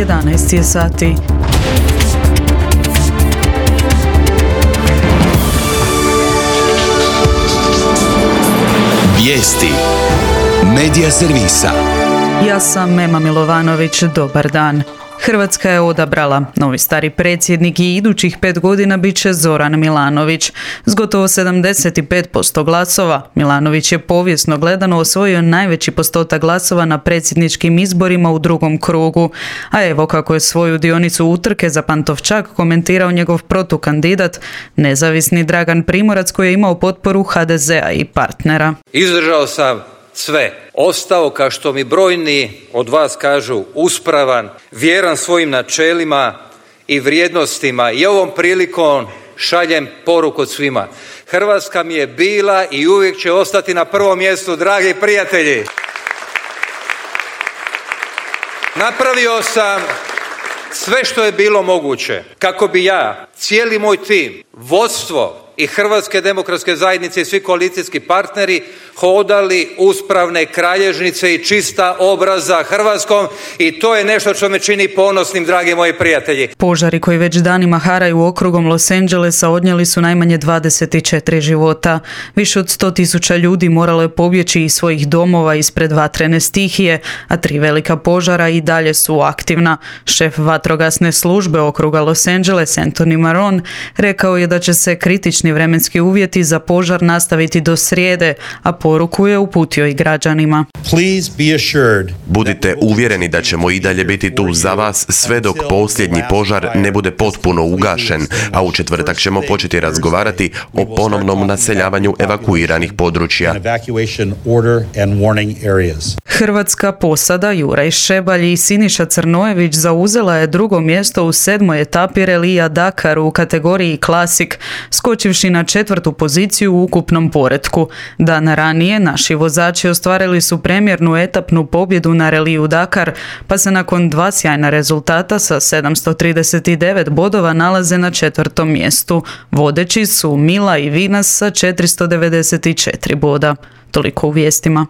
11 je sati. Vijesti Medija servisa. Ja sam Mema Milovanović, dobar dan. Hrvatska je odabrala. Novi stari predsjednik i idućih 5 godina bit će Zoran Milanović. S gotovo 75% glasova, Milanović je povijesno gledano osvojio najveći postotak glasova na predsjedničkim izborima u drugom krugu. A evo kako je svoju dionicu utrke za Pantovčak komentirao njegov protukandidat, nezavisni Dragan Primorac, koji je imao potporu HDZ-a i partnera. Izdržao sam sve. Ostao, kao što mi brojni od vas kažu, uspravan, vjeran svojim načelima i vrijednostima, i ovom prilikom šaljem poruku svima. Hrvatska mi je bila i uvijek će ostati na prvom mjestu, dragi prijatelji. Napravio sam sve što je bilo moguće kako bi ja, cijeli moj tim, vodstvo i Hrvatske demokratske zajednice i svi koalicijski partneri hodali uspravne kralježnice i čista obraza Hrvatskom, i to je nešto što me čini ponosnim, dragi moji prijatelji. Požari koji već danima haraju okrugom Los Angelesa odnijeli su najmanje 24 života. Više od 100.000 ljudi moralo je pobjeći iz svojih domova ispred vatrene stihije, a 3 velika požara i dalje su aktivna. Šef vatrogasne službe okruga Los Angeles, Anthony Maron, rekao je da će se kritični vremenski uvjeti za požar nastaviti do srijede, a poruku je uputio i građanima. Budite uvjereni da ćemo i dalje biti tu za vas sve dok posljednji požar ne bude potpuno ugašen, a u četvrtak ćemo početi razgovarati o ponovnom naseljavanju evakuiranih područja. Hrvatska posada Juraj Šebalj i Siniša Crnojević zauzela je drugo mjesto u 7. etapi relija Dakar u kategoriji Klasik, skočivši na 4. poziciju u ukupnom poretku. Dan ranije naši vozači ostvarili su premijernu etapnu pobjedu na reliju Dakar, pa se nakon 2 sjajna rezultata sa 739 bodova nalaze na 4. mjestu. Vodeći su Mila i Vinas sa 494 boda. Toliko u vijestima.